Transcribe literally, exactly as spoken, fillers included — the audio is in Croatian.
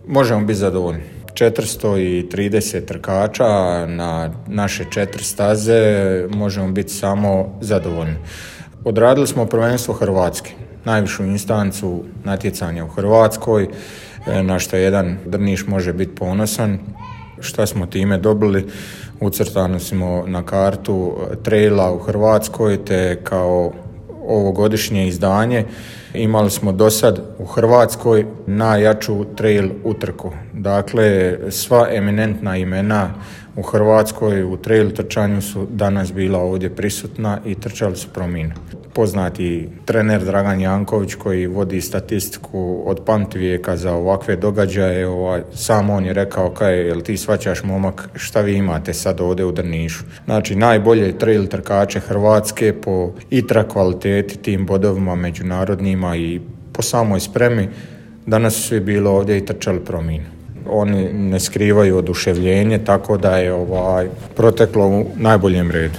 Možemo biti zadovoljni. četiristo trideset trkača na naše četiri staze, možemo biti samo zadovoljni. Odradili smo prvenstvo Hrvatske, najvišu instancu natjecanja u Hrvatskoj, na što jedan Drniš može biti ponosan. Šta smo time dobili? Ucrtani smo na kartu traila u Hrvatskoj, te kao ovogodišnje izdanje imali smo do sad u Hrvatskoj najjaču trail utrku. Dakle, sva eminentna imena u Hrvatskoj u trail trčanju su danas bila ovdje prisutna i trčali su Prominu. Poznati trener Dragan Janković koji vodi statistiku od pamtivijeka za ovakve događaje, ovaj, sam on je rekao kaj, jel ti shvaćaš momak šta vi imate sad ovdje u Drnišu. Znači najbolje trail trkače Hrvatske po itra kvaliteti, tim bodovima međunarodnima i po samoj spremi, danas su svi bilo ovdje i trčali Prominu. Oni ne skrivaju oduševljenje, tako da je ovaj proteklo u najboljem redu.